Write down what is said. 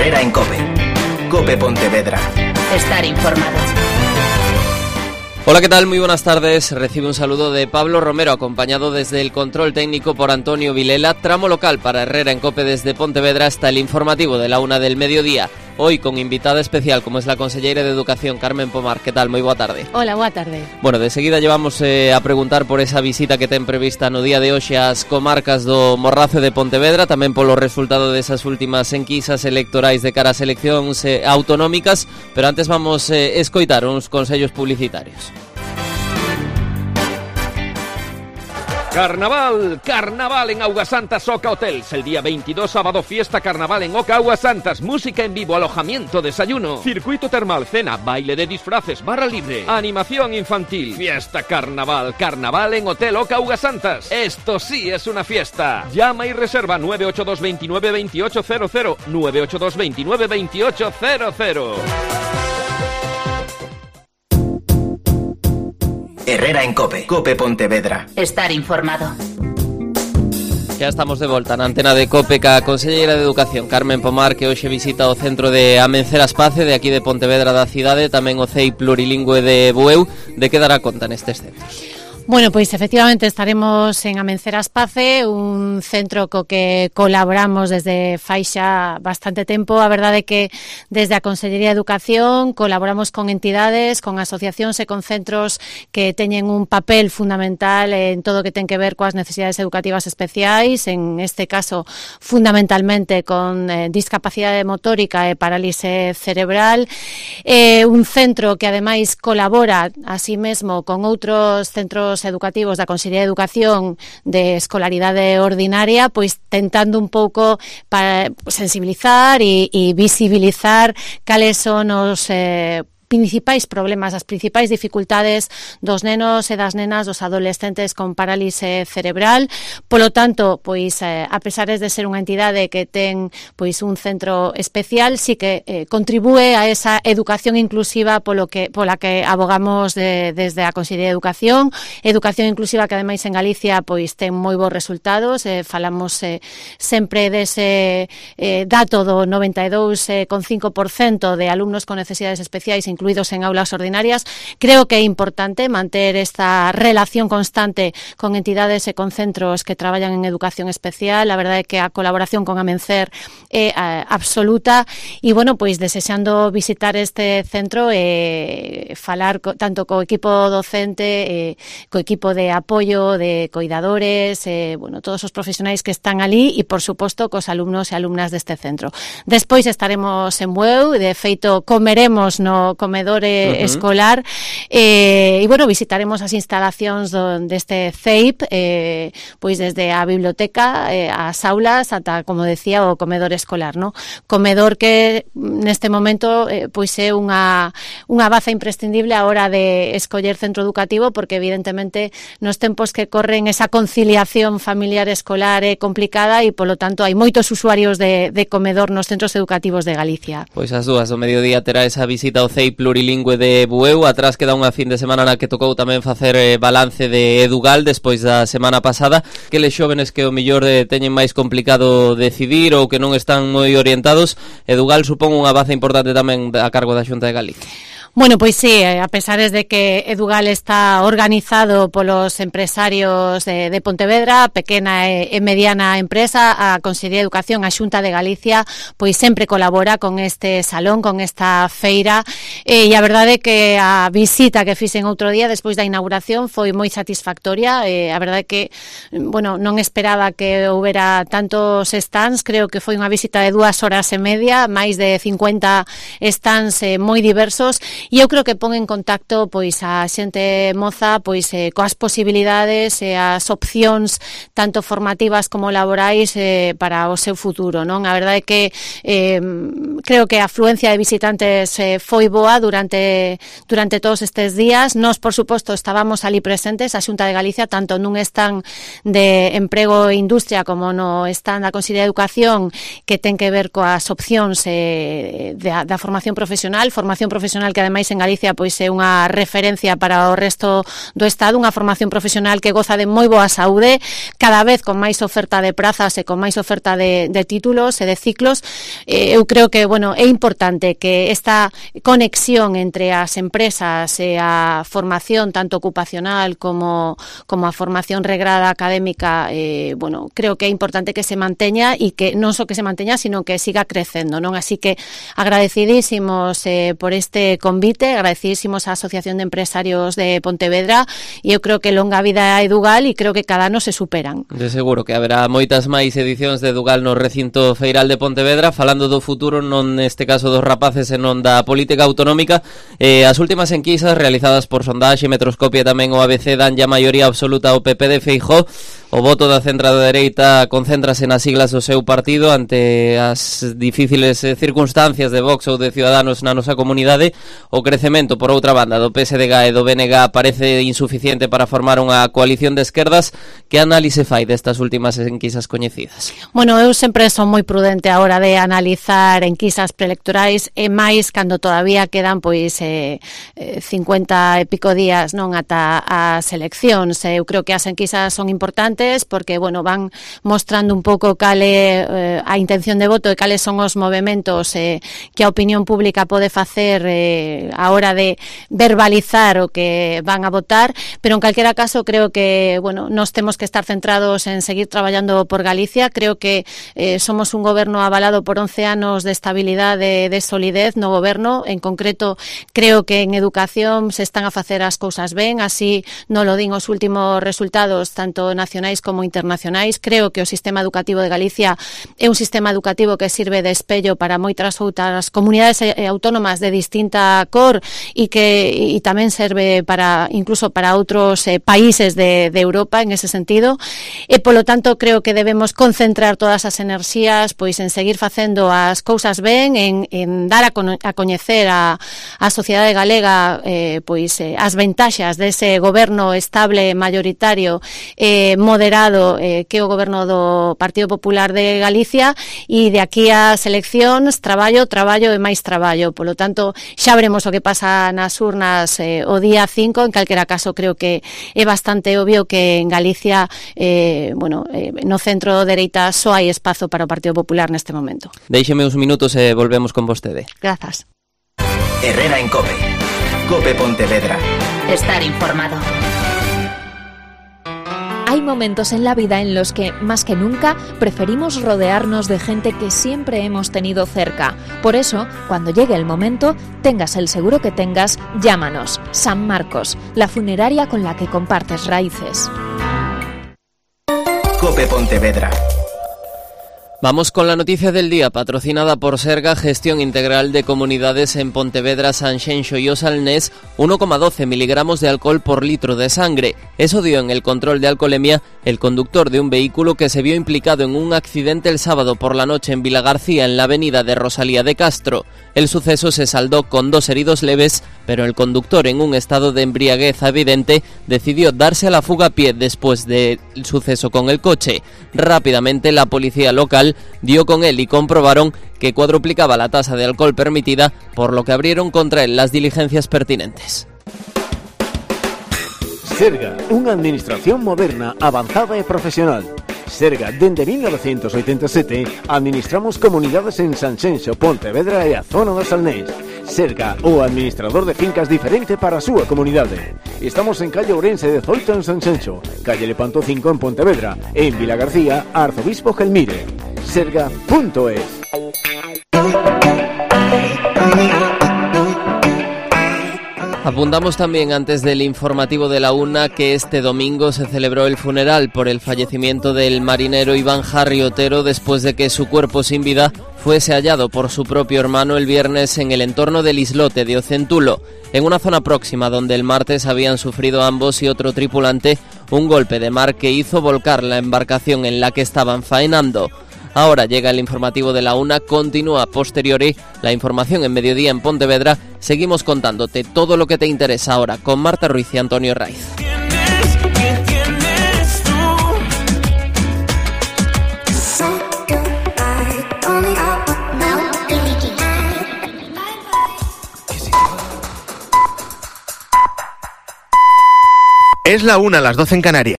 Herrera en COPE. COPE Pontevedra. Estar informado. Hola, ¿qué tal? Muy buenas tardes. Recibe un saludo de Pablo Romero, acompañado desde el control técnico por Antonio Vilela. Tramo local para Herrera en COPE desde Pontevedra hasta el informativo de la 1 del mediodía. Hoy con invitada especial, como es la conselleira de Educación, Carmen Pomar. ¿Qué tal? Moi boa tarde. Hola, boa tarde. Bueno, de seguida llevamos a preguntar por esa visita que ten prevista no día de hoxe ás comarcas do Morrazo de Pontevedra, tamén polo resultado desas últimas enquisas electorais de cara ás eleccións autonómicas, pero antes vamos escoitar uns consellos publicitarios. Carnaval, carnaval en Augasantas Oca Hotels. El día 22, sábado, fiesta carnaval en Oca Augasantas. Música en vivo, alojamiento, desayuno, circuito termal, cena, baile de disfraces, barra libre, animación infantil. Fiesta carnaval, carnaval en Hotel Oca Augasantas. Esto sí es una fiesta. Llama y reserva 982 29 2800, 982 29 2800. Herrera en COPE. COPE Pontevedra. Estar informado. Ya estamos de volta na antena de COPE ca conselleira de Educación, Carmen Pomar, que hoxe visita o centro de Amencer Aspace de aquí de Pontevedra da cidade, tamén o CEI plurilingüe de Bueu. De que dará conta nestes centros? Bueno, pois efectivamente estaremos en Amencer Aspace, un centro co que colaboramos desde fai xa bastante tempo. A verdade é que desde a Consellería de Educación colaboramos con entidades, con asociacións e con centros que teñen un papel fundamental en todo o que ten que ver coas necesidades educativas especiais, en este caso fundamentalmente con discapacidade motórica e parálise cerebral. Un centro que ademais colabora así mesmo con outros centros educativos da Consellería de Educación de escolaridade ordinaria, pois tentando un pouco para sensibilizar e visibilizar cales son os principais problemas, as principais dificultades dos nenos e das nenas, dos adolescentes con parálise cerebral. Polo tanto, pois a pesar de ser unha entidade que ten pois un centro especial, sí que contribúe a esa educación inclusiva pola que abogamos desde a Consellería de Educación. Educación inclusiva que ademais en Galicia pois ten moi bons resultados. Falamos sempre dese dato do 92,5% de alumnos con necesidades especiais incluídos en aulas ordinarias. Creo que é importante manter esta relación constante con entidades e con centros que traballan en educación especial. A verdade é que a colaboración con Amencer é absoluta e, bueno, pois desexando visitar este centro e falar tanto co equipo docente, co equipo de apoio, de coidadores, bueno, todos os profesionais que están ali e, por suposto, cos alumnos e alumnas deste centro. Despois estaremos en Bueu, de feito comeremos no comedor escolar e, bueno, visitaremos as instalacións deste CEIP, pois desde a biblioteca, as aulas, ata, como decía, o comedor escolar, no? Comedor que neste momento pois é unha baza imprescindible a hora de escoller centro educativo, porque evidentemente nos tempos que corren esa conciliación familiar escolar é complicada e, polo tanto, hai moitos usuarios de comedor nos centros educativos de Galicia. Pois as dúas do mediodía terá esa visita ao CEI plurilingüe de Bueu. Atrás queda unha fin de semana na que tocou tamén facer balance de Edugal despois da semana pasada. Que les xóvenes que o mellor teñen máis complicado decidir ou que non están moi orientados, Edugal supón unha baza importante tamén a cargo da Xunta de Galicia. Bueno, pois sí, a pesar de que Edugal está organizado polos empresarios de Pontevedra, pequena e mediana empresa, a Consellería de Educación, a Xunta de Galicia, pois sempre colabora con este salón, con esta feira, e a verdade é que a visita que fixen outro día despois da inauguración foi moi satisfactoria. A verdade é que, bueno, non esperaba que houbera tantos stands, creo que foi unha visita de 2 horas e media, máis de 50 stands moi diversos. E eu creo que pon en contacto pois a xente moza pois coas posibilidades e as opcións tanto formativas como laborais para o seu futuro, non? A verdade é que creo que a afluencia de visitantes foi boa durante todos estes días. Nós, por suposto, estábamos ali presentes, a Xunta de Galicia, tanto nun stand de emprego e industria como no stand da Consellería de Educación, que ten que ver coas opcións da formación profesional que ademais en Galicia pois é unha referencia para o resto do Estado, unha formación profesional que goza de moi boa saúde, cada vez con máis oferta de prazas e con máis oferta de títulos e de ciclos. Eu creo que, bueno, é importante que esta conexión entre as empresas e a formación tanto ocupacional como a formación regrada académica, bueno, creo que é importante que se manteña e que non só que se manteña, sino que siga crecendo, non? Así que agradecidísimos por este convite, agradecidísimos á Asociación de Empresarios de Pontevedra, e eu creo que longa vida a Edugal e creo que cada ano se superan. De seguro que haberá moitas máis edicións de Edugal no recinto feiral de Pontevedra, falando do futuro, non neste caso dos rapaces e non da política autonómica. As últimas enquisas realizadas por Sondaxe, Metroscopia e tamén o ABC dan ya maioría absoluta ao PP de Feijóo. O voto da centro-dereita concéntrase nas siglas do seu partido ante as difíciles circunstancias de Vox ou de Ciudadanos na nosa comunidade. O crecemento, por outra banda, do PSDG e do BNG parece insuficiente para formar unha coalición de esquerdas. Que análise fai destas últimas enquisas coñecidas? Bueno, eu sempre son moi prudente a hora de analizar enquisas preelectorais e máis cando todavía quedan pois 50 e pico días non ata as eleccións. Eu creo que as enquisas son importantes porque, bueno, van mostrando un pouco cale a intención de voto e cales son os movementos que a opinión pública pode facer a hora de verbalizar o que van a votar, pero en calquera caso creo que, bueno, nos temos que estar centrados en seguir traballando por Galicia. Creo que somos un goberno avalado por 11 anos de estabilidade, de solidez no goberno. En concreto, creo que en educación se están a facer as cousas ben, así non lo din os últimos resultados tanto nacionais como internacionais. Creo que o sistema educativo de Galicia é un sistema educativo que sirve de espello para moitas outras comunidades autónomas de distinta cor e que tamén serve para incluso para outros países de Europa en ese sentido. E polo tanto creo que debemos concentrar todas as enerxías pois en seguir facendo as cousas ben, en dar a coñecer a sociedade galega pois as ventaxas dese goberno estable, mayoritario, moderado que o goberno do Partido Popular de Galicia, e de aquí ás eleccións traballo e máis traballo. Polo tanto, xa veremos o que pasa nas urnas o día 5. En calquera caso, creo que é bastante obvio que en Galicia no centro dereita só hai espazo para o Partido Popular neste momento. Déixeme uns minutos e volvemos con vostede. Grazas. Herrera en COPE. COPE Pontevedra. Estar informado. Hay momentos en la vida en los que, más que nunca, preferimos rodearnos de gente que siempre hemos tenido cerca. Por eso, cuando llegue el momento, tengas el seguro que tengas, llámanos. San Marcos, la funeraria con la que compartes raíces. COPE Pontevedra. Vamos con la noticia del día, patrocinada por Serga, Gestión Integral de Comunidades en Pontevedra, Sanxenxo y Osalnés. 1,12 miligramos de alcohol por litro de sangre. Eso dio en el control de alcoholemia el conductor de un vehículo que se vio implicado en un accidente el sábado por la noche en Vilagarcía, en la avenida de Rosalía de Castro. El suceso se saldó con 2 heridos leves, pero el conductor, en un estado de embriaguez evidente, decidió darse a la fuga a pie después del suceso con el coche. Rápidamente la policía local dio con él y comprobaron que cuadruplicaba la tasa de alcohol permitida, por lo que abrieron contra él las diligencias pertinentes. Serga, unha administración moderna, avanzada e profesional. Serga, dende 1987, administramos comunidades en Sanxenxo, Pontevedra e a zona do Salnés. Serga, o administrador de fincas diferente para a súa comunidade. Estamos en calle Ourense 18 en Sanxenxo, calle Lepanto 5 en Pontevedra e en Vilagarcía, Arzobispo Gelmire. Serga.es. Apuntamos también antes del informativo de la una que este domingo se celebró el funeral por el fallecimiento del marinero Iván Jarri Otero después de que su cuerpo sin vida fuese hallado por su propio hermano el viernes en el entorno del islote de Ocentulo, en una zona próxima donde el martes habían sufrido ambos y otro tripulante un golpe de mar que hizo volcar la embarcación en la que estaban faenando. Ahora llega el informativo de la una, continúa a posteriori la información en Mediodía en Pontevedra. Seguimos contándote todo lo que te interesa ahora con Marta Ruiz y Antonio Raiz. Es la 1, las 12 en Canarias.